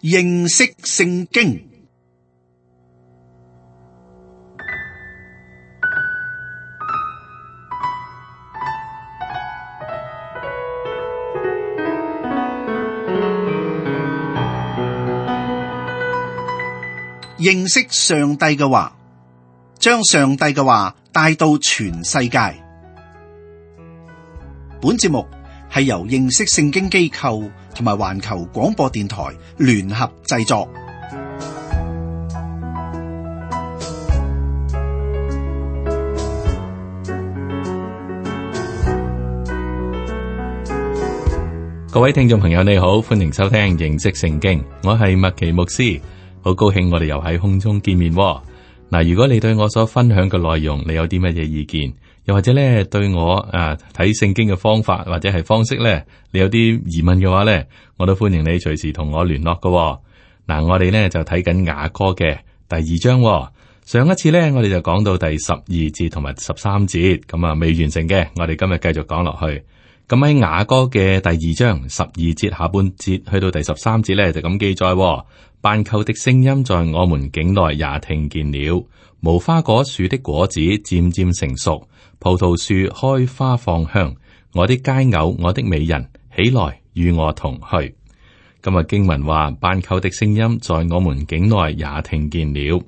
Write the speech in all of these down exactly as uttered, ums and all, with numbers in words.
認識聖經。認識上帝嘅話，將上帝嘅話帶到全世界。本節目係由認識聖經機構同埋環球廣播電台聯合製作。各位聽眾朋友，你好，歡迎收聽認識聖經，我係麥奇牧師。好高興我哋又喺空中見面喎。嗱，如果你對我所分享嘅內容，你有啲乜嘢意見，又或者咧對我誒睇聖經嘅方法或者係方式咧，你有啲疑問嘅話咧，我都歡迎你隨時同我聯絡㗎喎。嗱，我哋咧就睇緊雅歌嘅第二章喎。上一次咧，我哋就講到第十二節同埋十三節，咁啊未完成嘅，我哋今日繼續講落去。咁喺雅歌嘅第二章十二節下半節去到第十三節咧，就咁記載喎。斑鳩的聲音在我們境內也聽見了，無花果樹的果子漸漸成熟，葡萄樹開花放香。我的佳偶，我的美人，起來與我同去。今日經文話，斑鳩的聲音在我們境內也聽見了。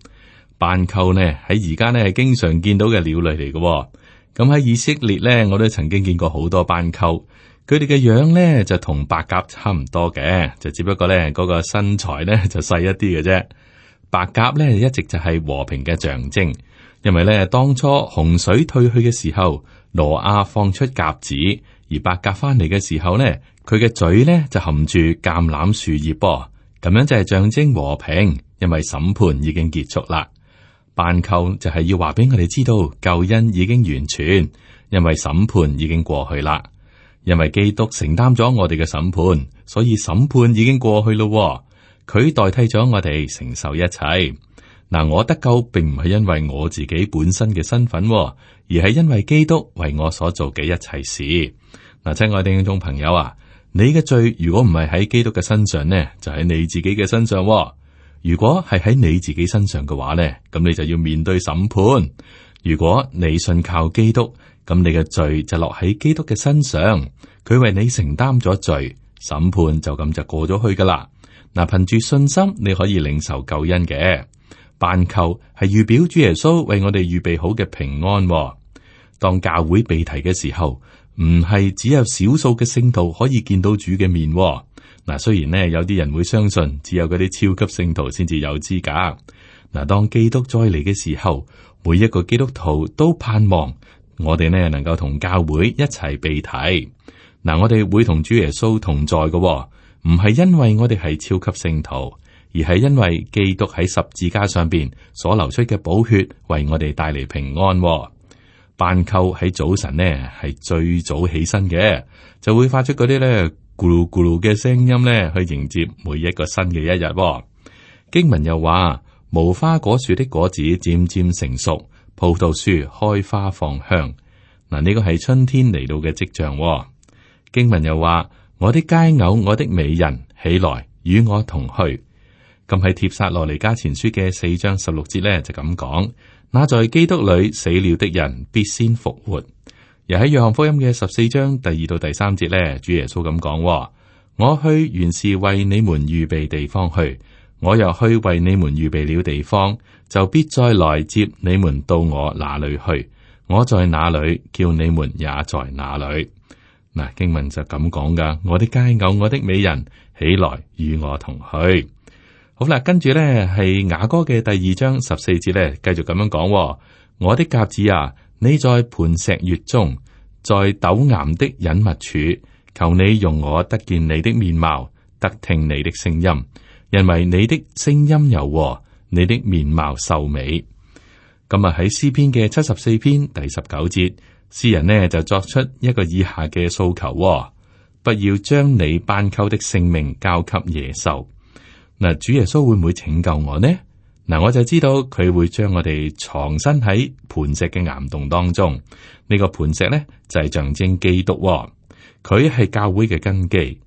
斑鳩呢喺而家呢係經常見到嘅鳥類嚟嘅。咁喺以色列呢，我都曾經見過好多斑鳩。佢哋嘅樣咧就同白鴿差唔多嘅，就只不過咧嗰個身材咧就細一啲嘅啫。白鴿咧一直就係和平嘅象徵，因為咧當初洪水退去嘅時候，挪亞放出鴿子，而白鴿翻嚟嘅時候咧，佢嘅嘴咧就含住橄欖樹葉噃，咁樣就係象徵和平，因為審判已經結束啦。斑鳩就係要話俾我哋知道救恩已經完全，因為審判已經過去啦。因為基督承擔咗我哋嘅審判，所以審判已經過去咯。佢代替咗我哋承受一切。嗱，我得救並唔係因為我自己本身嘅身份，而係因為基督為我所做嘅一切事。嗱，親愛的聽眾朋友啊，你嘅罪如果唔係喺基督嘅身上呢，就喺你自己嘅身上。如果係喺你自己身上嘅話呢，咁你就要面對審判。如果你信靠基督，咁你嘅罪就落喺基督嘅身上，佢為你承擔咗罪，審判就咁就過咗去噶啦。嗱，憑住信心你可以領受救恩嘅。斑鳩係預表主耶穌為我哋預備好嘅平安。當教會被提嘅時候，唔係只有少數嘅聖徒可以見到主嘅面。嗱，雖然呢，有啲人會相信只有嗰啲超級聖徒先至有資格。嗱，當基督再嚟嘅時候，每一個基督徒都盼望我哋呢能夠同教會一齊被提。嗱，我哋會同主耶穌同在嘅，唔係因為我哋係超級聖徒，而係因為基督喺十字架上邊所流出嘅寶血為我哋帶嚟平安。斑鳩喺早晨呢係最早起身嘅，就會發出嗰啲咧咕嚕咕嚕嘅聲音咧去迎接每一個新嘅一日。經文又話，無花果樹的果子漸漸成熟，葡萄樹開花放香。嗱，呢個係春天嚟到嘅跡象。經文又話，我的佳偶，我的美人，起來與我同去。咁喺帖撒羅尼迦前書嘅四章十六節咧就咁講，那在基督裏死了的人必先復活。又喺約翰福音嘅十四章第二到第三節咧，主耶穌咁講，我去原是為你們預備地方去，我又去為你們預備了地方，就必再來接你們到我那裏去。我在哪裏，叫你們也在哪裏。嗱，經文就咁講噶，我的佳偶，我的美人，起來與我同去。好啦，跟住咧係雅歌嘅第二章十四節咧，繼續咁樣講，我的鴿子啊，你在磐石穴中，在陡岩的隱密處，求你容我得見你的面貌，得聽你的聲音，因為你的聲音柔和，你的面貌秀美。咁啊喺詩篇嘅七十四篇第十九節，詩人呢就作出一個以下嘅訴求，不要將你斑鳩的性命交給野獸。嗱，主耶穌會唔會拯救我呢？嗱，我就知道佢會將我哋藏身喺磐石嘅岩洞當中。呢、這個磐石咧就係、是、象徵基督、哦，佢係教會嘅根基。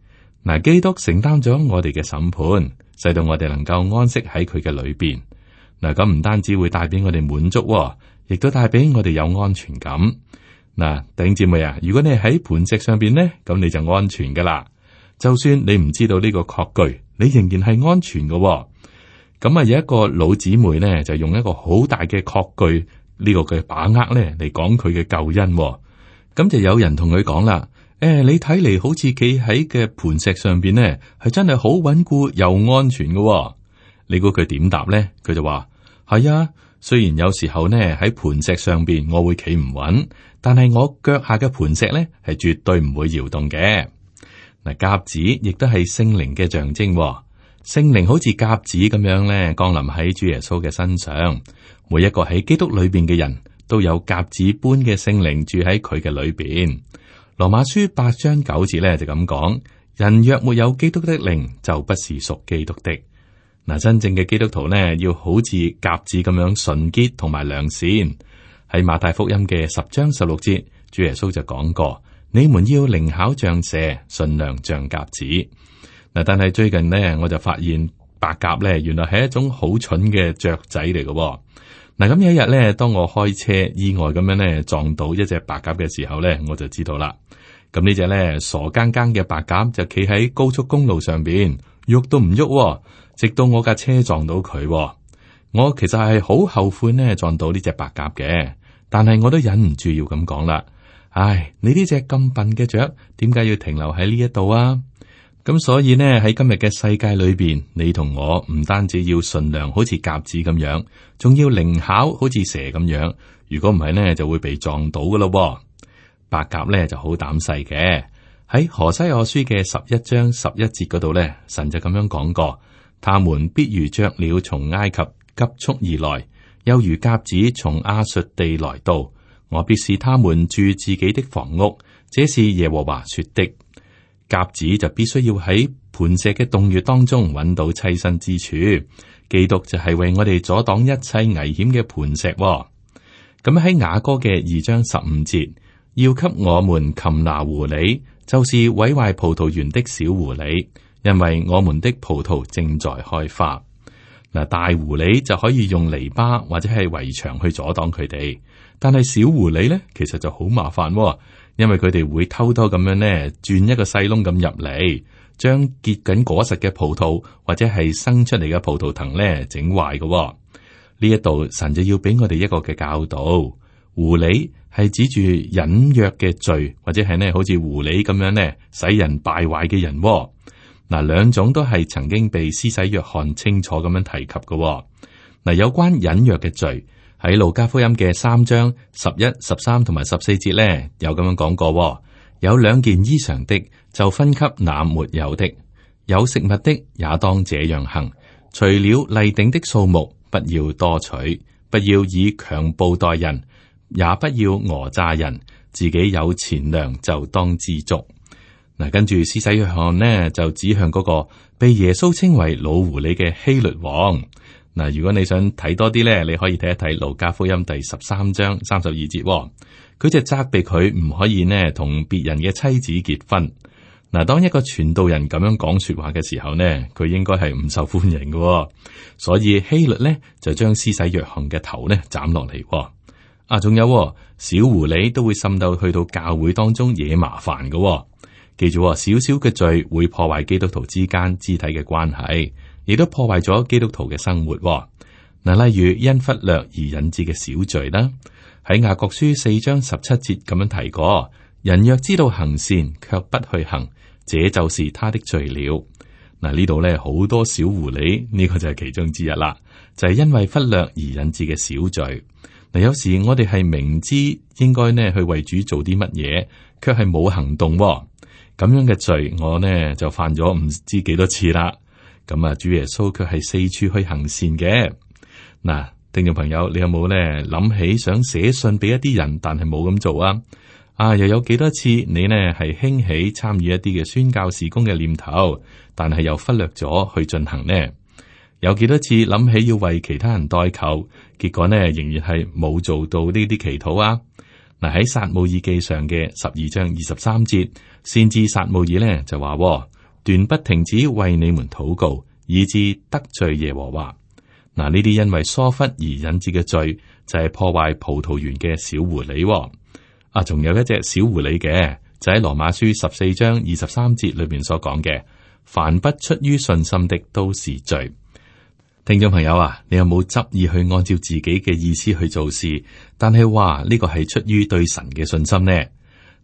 嗱，基督承擔咗我哋嘅審判，使到我哋能夠安息喺佢嘅裏邊。嗱，咁唔單止會帶俾我哋滿足，亦都帶俾我哋有安全感。嗱，弟兄姊妹啊，如果你係喺磐石上邊呢，咁你就安全噶啦。就算你唔知道呢個確據，你仍然係安全噶。咁啊，有一個老姊妹呢，就用一個好大嘅確據呢個嘅把握呢嚟講佢嘅救恩。咁就有人同佢講啦：誒、欸，你睇嚟好似企喺嘅磐石上邊呢，係真係好穩固又安全噶。你估佢點答呢？佢就話：係啊，雖然有時候呢喺磐石上邊我會企唔穩，但係我腳下嘅磐石呢係絕對唔會搖動嘅。嗱，鴿子亦都係聖靈嘅象徵，聖靈好似鴿子咁樣咧降臨喺主耶穌嘅身上。每一個喺基督裏邊嘅人都有鴿子般嘅聖靈住喺佢嘅裏邊。羅馬書八章九節咧就咁講：人若沒有基督的靈，就不是屬基督的。嗱，真正嘅基督徒呢，要好似鴿子咁樣純潔同埋良善。喺馬太福音嘅十章十六節，主耶穌就講過：你們要靈巧像蛇，馴良像鴿子。嗱，但係最近呢，我就發現白鴿咧，原來係一種好蠢嘅雀仔嚟嘅。嗱，咁有一日咧，當我開車意外咁樣咧撞到一隻白鴿嘅時候咧，我就知道啦。咁呢隻咧傻更更嘅白鴿就企喺高速公路上邊，喐都唔喐，直到我架車撞到佢。我其實係好後悔呢撞到呢隻白鴿嘅，但係我都忍唔住要咁講啦。唉，你呢隻咁笨嘅雀，點解要停留喺呢一度啊？咁所以呢，喺今日嘅世界裏邊，你同我唔單止要馴良，好似鴿子咁樣，仲要靈巧，好似蛇咁樣。如果唔係呢，就會被撞到噶咯。白鴿呢就好膽細嘅。喺何西阿書嘅十一章十一節嗰度呢，神就咁樣講過：他們必如雀鳥從埃及急速而來，又如鴿子從亞述地來到。我必使他們住自己的房屋，這是耶和華說的。鴿子就必須要喺磐石嘅洞穴當中揾到棲身之處，基督就係為我哋阻擋一切危險嘅磐石。咁喺雅歌嘅二章十五節，要給我們擒拿狐狸，就是毀壞葡萄園的小狐狸，因為我們的葡萄正在開花。嗱，大狐狸就可以用籬笆或者係圍牆去阻擋佢哋，但係小狐狸咧，其實就好麻煩。因為佢哋會偷偷咁樣呢，鑽一個細窿咁入嚟，將結緊果實嘅葡萄或者係生出嚟嘅葡萄藤呢整壞嘅。呢一度神就要俾我哋一個嘅教導，狐狸係指住隱約嘅罪，或者係呢好似狐狸咁樣呢使人敗壞嘅人。嗱，兩種都係曾經被施洗約翰清楚咁樣提及嘅。嗱，有關隱約嘅罪。喺路加福音嘅三章十一、十三同埋十四節咧，有咁樣講過：有兩件衣裳的，就分給那沒有的；有食物的，也當這樣行。除了例定的數目，不要多取，不要以強暴待人，也不要訛詐人。自己有錢糧就當知足。嗱，跟住施洗約翰呢，就指向嗰個被耶穌稱為老狐狸嘅希律王。嗱，如果你想睇多啲咧，你可以睇一睇路加福音第十三章三十二節，佢就責備佢唔可以呢同別人嘅妻子結婚。嗱，當一個傳道人咁樣講說話嘅時候呢，佢應該係唔受歡迎嘅，所以希律呢就將施洗約翰嘅頭呢斬落嚟。啊，仲有小狐狸都會滲到去到教會當中惹麻煩嘅。記住，少少嘅罪會破壞基督徒之間肢體嘅關係。亦都破壞咗基督徒嘅生活。嗱，例如因忽略而引致嘅小罪啦，喺雅各書四章十七節咁樣提過：人若知道行善，卻不去行，這就是他的罪了。嗱，呢度咧好多小狐狸，呢個就係其中之一啦，就係因為忽略而引致嘅小罪。嗱，有時我哋係明知應該呢去為主做啲乜嘢，卻係冇行動。咁樣嘅罪，我呢就犯咗唔知幾多次啦。咁啊，主耶穌卻係四處去行善嘅。嗱，聽眾朋友，你有冇咧諗起想寫信俾一啲人，但係冇咁做啊？啊，又有幾多次你呢係興起參與一啲嘅宣教事工嘅念頭，但係又忽略咗去進行呢？有幾多次諗起要為其他人代求，結果呢仍然係冇做到呢啲祈禱啊？嗱，喺撒母耳記上嘅十二章二十三節，先知撒母耳呢就話：斷不停止為你們禱告，以致得罪耶和華。嗱，呢啲因為疏忽而引致嘅罪，就係、是、破壞葡萄園嘅小狐狸、哦。啊，仲有一隻小狐狸嘅，就喺羅馬書十四章二十三節裏邊所講嘅，凡不出於信心的都是罪。聽眾朋友啊，你有冇執意去按照自己嘅意思去做事？但係話呢個係出於對神嘅信心呢？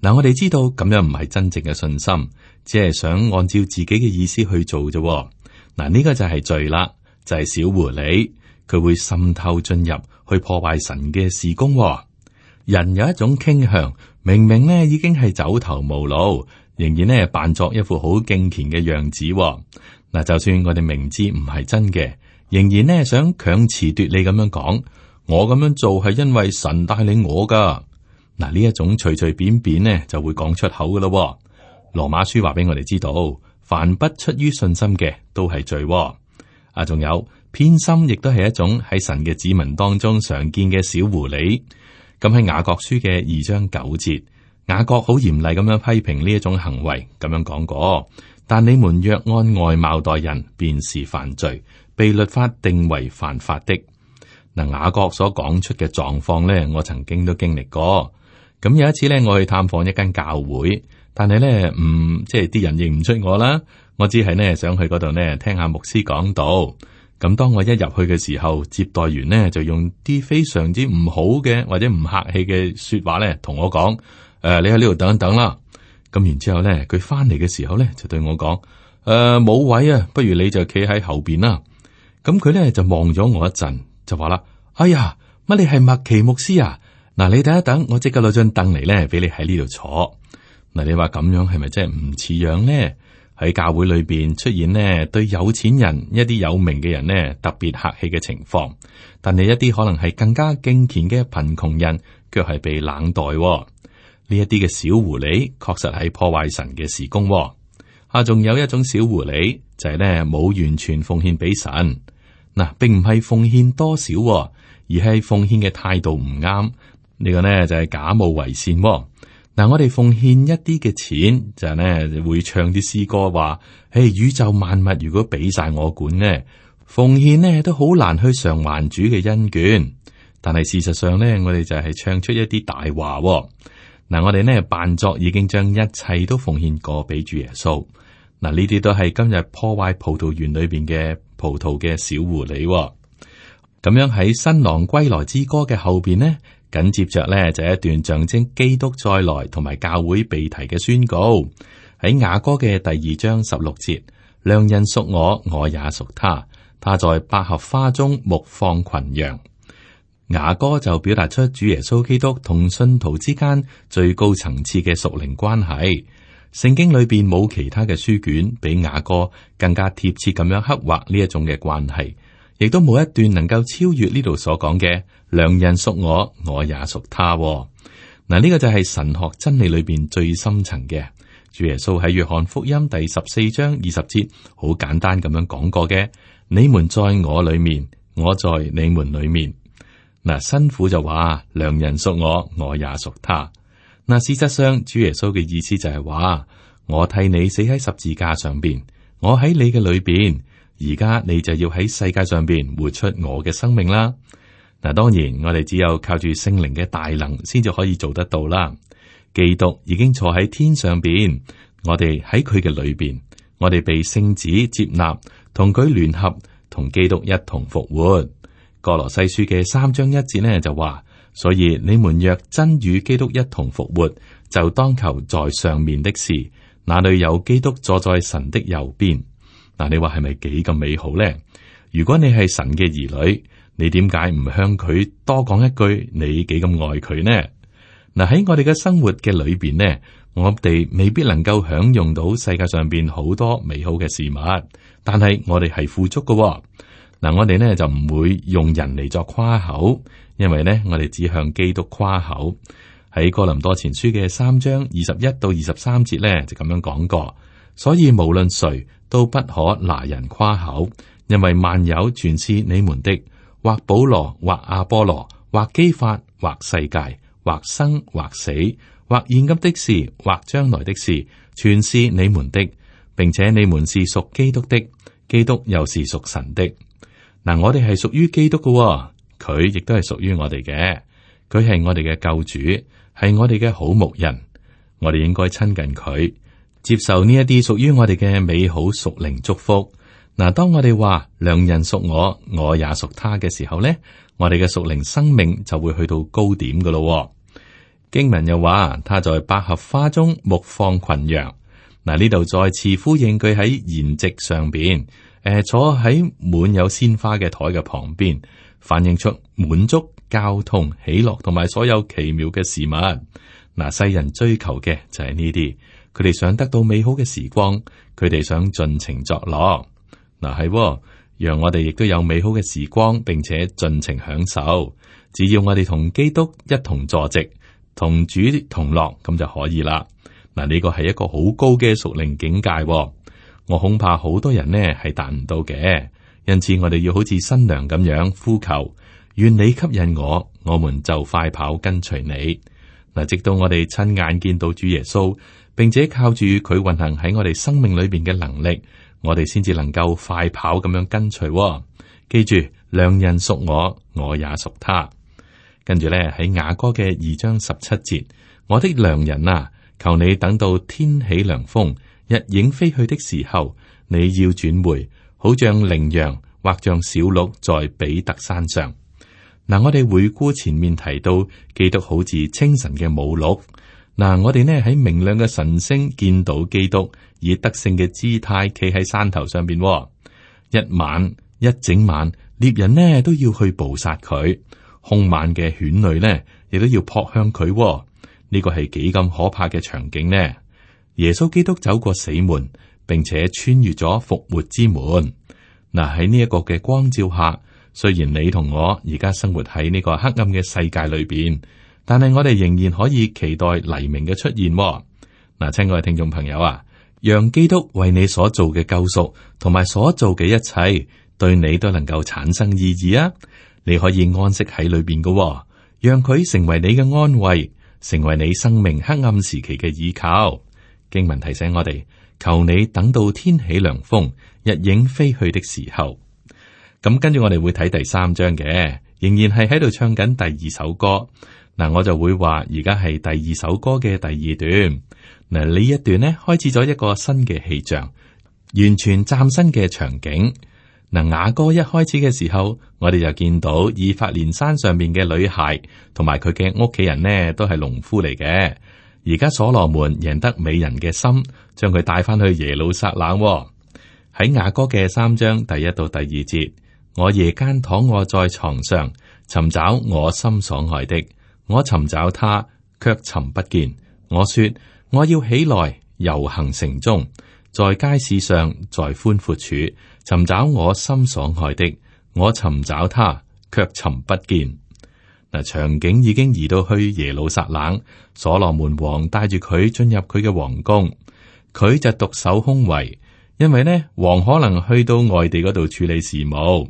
嗱，我哋知道咁樣唔係真正嘅信心，只係想按照自己嘅意思去做啫。嗱，呢個就係罪啦，就係、是、小狐狸，佢會滲透進入去破壞神嘅事工。人有一種傾向，明明呢已經係走投無路，仍然呢扮作一副好敬虔嘅樣子。嗱，就算我哋明知唔係真嘅，仍然呢想強詞奪理咁樣講，我咁樣做係因為神帶領我噶。嗱，呢一種隨隨便便呢就會講出口噶咯。羅馬書話俾我哋知道，凡不出於信心嘅都係罪。啊，仲有偏心，亦都係一種喺神嘅子民當中常見嘅小狐狸。咁喺雅各書嘅二章九節，雅各好嚴厲咁樣批評呢一種行為，咁樣講過。但你們若按外貌待人，便是犯罪，被律法定為犯法的。嗱，雅各所講出嘅狀況咧，我曾經都經歷過。咁有一次咧，我去探訪一間教會，但係咧，唔即係啲人認唔出我啦。我只係呢想去嗰度呢聽下牧師講道。咁當我一入去嘅時候，接待員呢就用啲非常之唔好嘅或者唔客氣嘅說話咧，同我講：誒、呃，你喺呢度等一等啦。咁然之後咧，佢翻嚟嘅時候咧，就對我講：誒、呃，冇位啊，不如你就企喺後邊啦。咁佢咧就望咗我一陣，就話啦：哎呀，乜你係麥奇牧師啊？嗱，你等一等，我即刻攞張凳嚟咧，俾你喺呢度坐。嗱，你話咁樣係咪真係唔似樣呢？喺教會裏邊出現呢，對有錢人一啲有名嘅人呢特別客氣嘅情況，但係一啲可能係更加敬虔嘅貧窮人，卻係被冷待。呢一啲嘅小狐狸，確實係破壞神嘅事工。啊，仲有一種小狐狸就係呢冇完全奉獻俾神。嗱，並唔係奉獻多少，而係奉獻嘅態度唔啱。呢個呢就係假冒為善。嗱，我哋奉獻一啲嘅錢，就係呢會唱啲詩歌話：誒，宇宙萬物如果俾晒我管呢，奉獻呢都好難去償還主嘅恩眷。但係事實上呢，我哋就係唱出一啲大話。嗱，我哋呢扮作已經將一切都奉獻過俾主耶穌。嗱，呢啲都係今日破壞葡萄園裏邊嘅葡萄嘅小狐狸。咁樣喺新郎歸來之歌嘅後邊呢，緊接着呢就係一段象徵基督再來同埋教會被提嘅宣告。喺雅歌嘅第二章十六節，良人屬我，我也屬他，他在百合花中牧放群羊。雅歌就表達出主耶穌基督同信徒之間最高層次嘅屬靈關係。聖經裏邊冇其他嘅書卷比雅歌更加貼切咁樣刻畫呢一種嘅關係，亦都冇一段能夠超越呢度所講嘅良人屬我，我也屬他。嗱，呢個就係神學真理裏邊最深層嘅。主耶穌喺約翰福音第十四章二十節好簡單咁樣講過嘅：你們在我裏面，我在你們裏面。嗱，新婦就話良人屬我，我也屬他。嗱，事實上主耶穌嘅意思就係話，我替你死喺十字架上邊，我喺你嘅裏邊，而家你就要喺世界上邊活出我嘅生命啦。嗱，當然我哋只有靠住聖靈嘅大能，先至可以做得到啦。基督已經坐喺天上邊，我哋喺佢嘅裏邊，我哋被聖子接納，同佢聯合，同基督一同復活。歌羅西書嘅三章一節呢就話，所以你們若真與基督一同復活，就當求在上面的事，那裏有基督坐在神的右邊。嗱，你話係咪幾咁美好呢？如果你係神嘅兒女，你點解唔向佢多講一句你幾咁愛佢呢？嗱，喺我哋嘅生活嘅裏邊呢，我哋未必能夠享用到世界上邊好多美好嘅事物，但係我哋係富足嘅。嗱，我哋呢就唔會用人嚟作誇口，因為呢我哋只向基督誇口。喺哥林多前書嘅三章二十一到二十三節呢就咁樣講過，所以無論誰都不可拿人誇口，因為萬有全是你們的，或保羅，或阿波羅，或基法，或世界，或生，或死，或現今的事，或將來的事，全是你們的，並且你們是屬基督的，基督又是屬神的。嗱，我哋係屬於基督嘅，佢亦都係屬於我哋嘅。佢係我哋嘅救主，係我哋嘅好牧人。我哋應該親近佢，接受呢一啲屬於我哋嘅美好屬靈祝福。嗱，當我哋話良人屬我，我也屬他嘅時候呢，我哋嘅屬靈生命就會去到高點噶咯。經文又話，他在百合花中牧放群羊。嗱，呢度再次呼應佢喺筵席上邊，誒、呃，坐喺滿有鮮花嘅台嘅旁邊，反映出滿足、交通、喜樂同埋所有奇妙嘅事物。嗱，世人追求嘅就係呢啲，佢哋想得到美好嘅時光，佢哋想盡情作樂。嗱，係，讓我哋亦都有美好嘅時光，並且盡情享受。只要我哋同基督一同坐席，同主同樂，咁就可以啦。嗱，呢個係一個好高嘅屬靈境界，我恐怕好多人呢係達唔到嘅。因此，我哋要好似新娘咁樣呼求，願你吸引我，我們就快跑跟隨你。嗱，直到我哋親眼見到主耶穌，並且靠住佢運行喺我哋生命裏邊嘅能力，我哋先至能夠快跑咁樣跟隨。記住，良人屬我，我也屬他。跟住咧喺雅歌嘅二章十七節，我的良人啊，求你等到天起涼風，日影飛去的時候，你要轉回，好像羚羊或像小鹿在比特山上。嗱，我哋回顧前面提到，基督好似清晨嘅母鹿。嗱，我哋呢喺明亮嘅晨星見到基督以得勝嘅姿態企喺山頭上邊，一晚一整晚，獵人呢都要去捕殺佢，兇猛嘅犬類呢亦都要撲向佢。呢個係幾咁可怕嘅場景呢？耶穌基督走過死門，並且穿越咗復活之門。嗱，喺呢一個嘅光照下，雖然你同我而家生活喺呢個黑暗嘅世界裏邊，但係我哋仍然可以期待黎明嘅出現。嗱，親愛嘅聽眾朋友啊，讓基督為你所做嘅救贖同埋所做嘅一切，對你都能夠產生意義啊！你可以安息喺裏邊嘅，讓佢成為你嘅安慰，成為你生命黑暗時期嘅依靠。經文提醒我哋，求你等到天起涼風，日影飛去的時候。咁跟住我哋會睇第三章嘅，仍然係喺度唱緊第二首歌。嗱，我就會話而家係第二首歌嘅第二段。嗱，呢一段呢開始咗一個新嘅氣象，完全嶄新嘅場景。嗱，雅歌一開始嘅時候，我哋就見到以法蓮山上面嘅女孩同埋佢嘅屋企人呢，都係農夫嚟嘅。而家所羅門贏得美人嘅心，將佢帶翻去耶路撒冷。喺雅歌嘅三章第一到第二節，我夜間躺臥在床上，尋找我心所愛的，我尋找他，卻尋不見。我說我要起來遊行城中，在街市上，在寬闊處尋找我心所愛的，我尋找他，卻尋不見。嗱，場景已經移到去耶路撒冷，所羅門王帶住佢進入佢嘅皇宮，佢就獨守空位，因為呢王可能去到外地嗰度處理事務。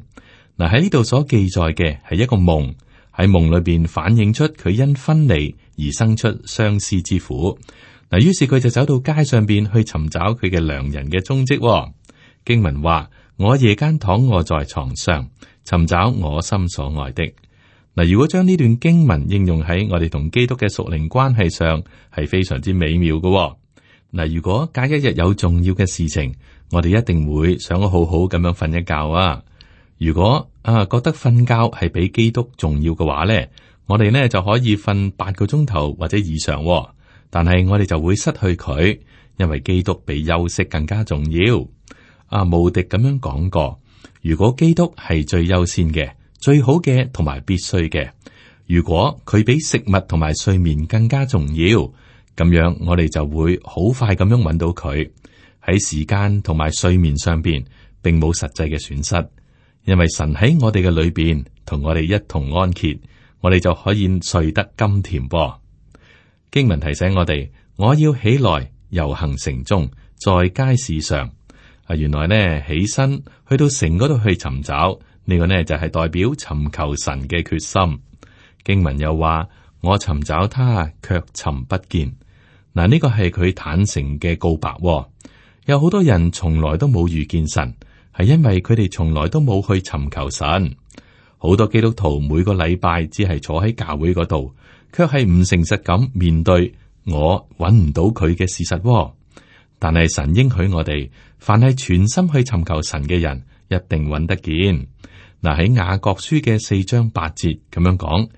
嗱，喺呢度所記載嘅係一個夢，喺夢裏邊反映出佢因分離而生出相思之苦。嗱，於是佢就走到街上邊去尋找佢嘅良人嘅蹤跡。經文話：我夜間躺臥在床上，尋找我心所愛的。嗱，如果將呢段經文應用喺我哋同基督嘅屬靈關係上，係非常之美妙嘅。嗱，如果隔一日有重要嘅事情，我哋一定會想好好咁樣瞓一覺啊。如果啊覺得瞓覺係比基督重要嘅話咧，我哋呢就可以瞓八個鐘頭或者以上。但係我哋就會失去佢，因為基督比休息更加重要。啊，無敵咁樣講過，如果基督係最優先嘅、最好嘅同埋必須嘅，如果佢比食物同埋睡眠更加重要，咁樣我哋就會好快咁樣揾到佢。喺時間同埋睡眠上邊，並冇實際嘅損失，因為神喺我哋嘅裏邊同我哋一同安歇，我哋就可以睡得甘甜噃。經文提醒我哋，我要起來遊行城中，在街市上。啊，原來呢起身去到城嗰度去尋找，呢個呢就係代表尋求神嘅決心。經文又話，我尋找他，卻尋不見。嗱，呢個係佢坦誠嘅告白。有好多人從來都冇遇見神，係因為佢哋從來都冇去尋求神。好多基督徒每個禮拜只係坐喺教會嗰度，卻係唔誠實咁面對我揾唔到佢嘅事實。但係神應許我哋，凡係全心去尋求神嘅人，一定揾得見。嗱，喺雅各書嘅四章八節咁樣講：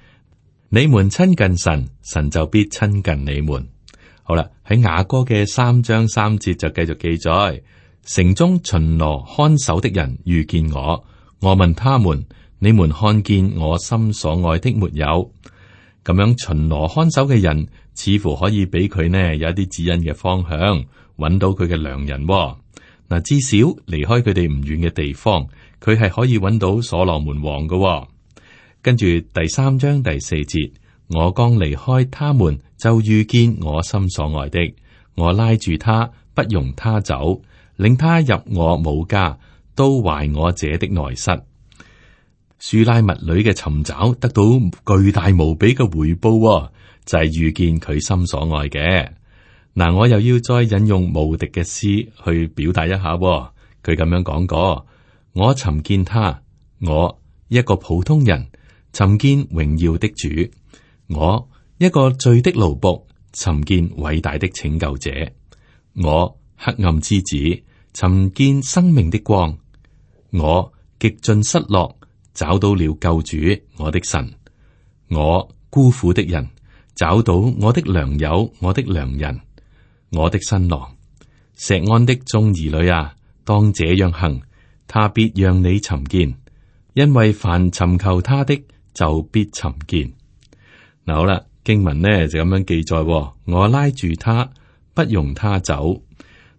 你們親近神，神就必親近你們。好啦，喺雅歌嘅三章三節就繼續記載：城中巡邏看守的人遇見我，我問他們：你們看見我心所愛的沒有？咁樣巡邏看守嘅人，似乎可以俾佢呢有一啲指引嘅方向，揾到佢嘅良人。嗱，至少離開佢哋唔遠嘅地方，佢係可以揾到所羅門王嘅。跟住第三章第四節，我剛離開他們，就遇見我心所愛的，我拉住他，不容他走，領他入我母家，都懷我者的內室。書拉密女嘅尋找得到巨大無比嘅回報，就係遇見佢心所愛嘅。嗱，我又要再引用無敵嘅詩去表達一下。佢咁樣講過：我尋見他，我一個普通人尋見榮耀的主，我一個罪的奴僕尋見偉大的拯救者，我黑暗之子尋見生命的光，我極盡失落找到了救主我的神，我孤苦的人找到我的良友我的良人，我的新郎。錫安的眾兒女啊，當這樣行，他必讓你尋見，因為凡尋求他的就必尋見。嗱，好啦，經文呢就咁樣記載：我拉住他，不容他走。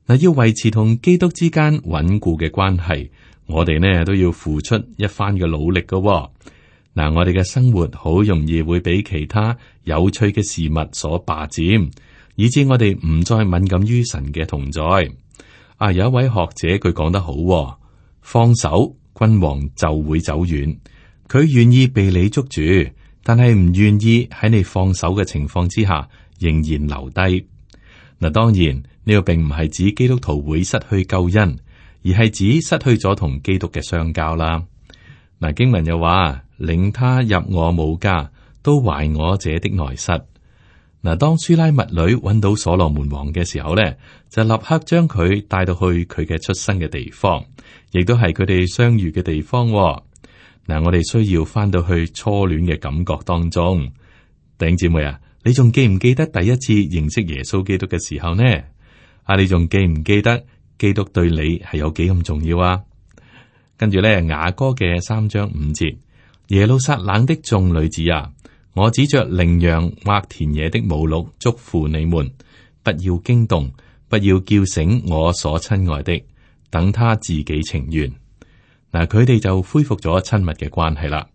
嗱，要維持同基督之間穩固嘅關係，我哋呢都要付出一番嘅努力噶。嗱，我哋嘅生活好容易會俾其他有趣嘅事物所霸佔，以致我哋唔再敏感於神嘅同在。啊，有一位學者佢講得好，放手，君王就會走遠。佢願意被你捉住，但係唔願意喺你放手嘅情況之下仍然留低。嗱，當然呢個並唔係指基督徒會失去救恩，而係指失去咗同基督嘅相交啦。嗱，經文又話：領他入我母家，都懷我者的內室。嗱，當書拉密女揾到所羅門王嘅時候咧，就立刻將佢帶到去佢嘅出生嘅地方，亦都係佢哋相遇嘅地方。嗱，我哋需要翻到去初戀嘅感覺當中。弟兄姊妹啊，你仲記唔記得第一次認識耶穌基督嘅時候呢？啊，你仲記唔記得基督對你係有幾咁重要啊？跟住咧，雅歌嘅三章五節，耶路撒冷的眾女子啊，我指着羚羊或田野的母鹿囑咐你們，不要驚動，不要叫醒我所親愛的，等他自己情願。嗱，佢哋就恢復咗親密嘅關係啦。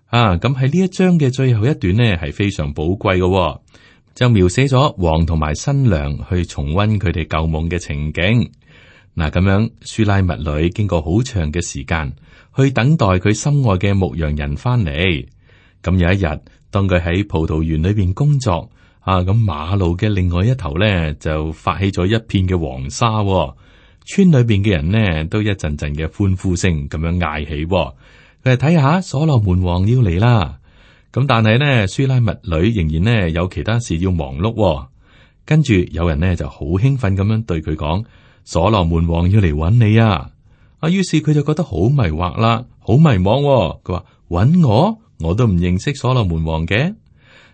啊，咁喺呢一章嘅最後一段呢，係非常寶貴嘅，就描寫咗王同埋新娘去重溫佢哋舊夢嘅情景。嗱，咁樣書拉密女經過好長嘅時間去等待佢心愛嘅牧羊人翻嚟。咁有一日，當佢喺葡萄園裏邊工作，啊，咁馬路嘅另外一頭咧就發起咗一片嘅黃沙，村裏邊嘅人呢都一陣陣嘅歡呼聲咁樣嗌起。佢哋睇下所羅門王要嚟啦。咁但係呢，書拉密女仍然呢有其他事要忙碌。跟住有人呢就好興奮咁樣對佢講：所羅門王要嚟揾你啊！啊，於是佢就覺得好迷惑啦，好迷惘。佢話：揾我？我都唔認識所羅門王嘅。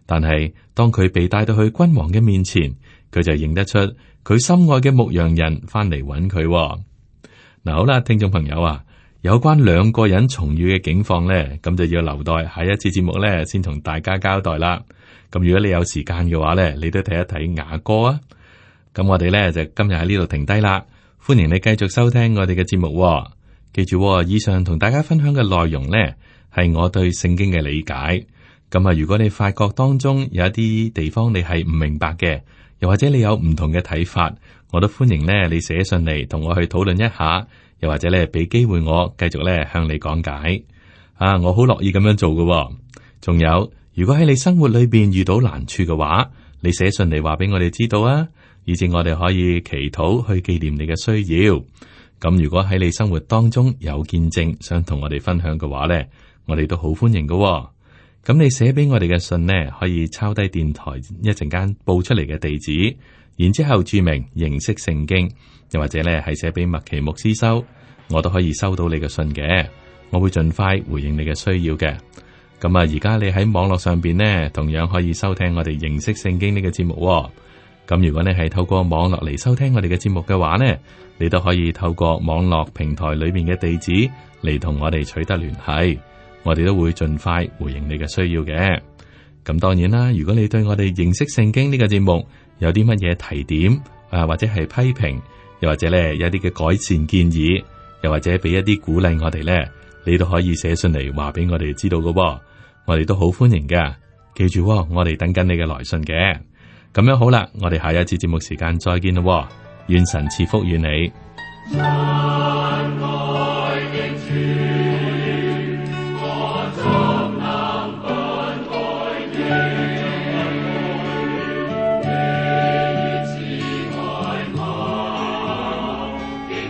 但係當佢被帶到去君王嘅面前，佢就認得出佢心愛嘅牧羊人翻嚟揾佢。嗱，好啦，聽眾朋友啊，有關兩個人重遇嘅境況咧，咁就要留待下一次節目咧，先同大家交代啦。咁如果你有時間嘅話咧，你都睇一睇雅歌啊。咁我哋咧就今日喺呢度停低啦。歡迎你繼續收聽我哋嘅節目。記住，以上同大家分享嘅內容咧，係我對聖經嘅理解。咁啊，如果你發覺當中有一啲地方你係唔明白嘅，又或者你有唔同嘅睇法，我都歡迎咧你寫信嚟同我去討論一下，又或者咧俾機會我繼續咧向你講解。啊，我好樂意咁樣做嘅。仲有，如果喺你生活裏邊遇到難處嘅話，你寫信嚟話俾我哋知道啊。以至我哋可以祈禱去紀念你嘅需要。咁如果喺你生活當中有見證想同我哋分享嘅話呢，我哋都好歡迎嘅。咁你寫俾我哋嘅信呢，可以抄低電台一陣間報出嚟嘅地址，然之後注明認識聖經，又或者咧係寫俾麥奇牧師收，我都可以收到你嘅信嘅。我會盡快回應你嘅需要嘅。咁啊，而家你喺網絡上邊呢，同樣可以收聽我哋認識聖經呢個節目。咁如果你係透過網絡嚟收聽我哋嘅節目嘅話呢，你都可以透過網絡平台裏面嘅地址嚟同我哋取得聯繫。我哋都會盡快回應你嘅需要嘅。咁當然啦，如果你對我哋認識聖經呢個節目有啲乜嘢提點啊，或者係批評，又或者咧有啲嘅改善建議，又或者俾一啲鼓勵我哋咧，你都可以寫信嚟話俾我哋知道嘅。我哋都好歡迎噶。記住，我哋等緊你嘅來信嘅。咁樣好啦，我哋下一次節目時間再見咯。願神賜福與你。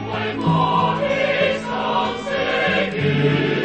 為我的心死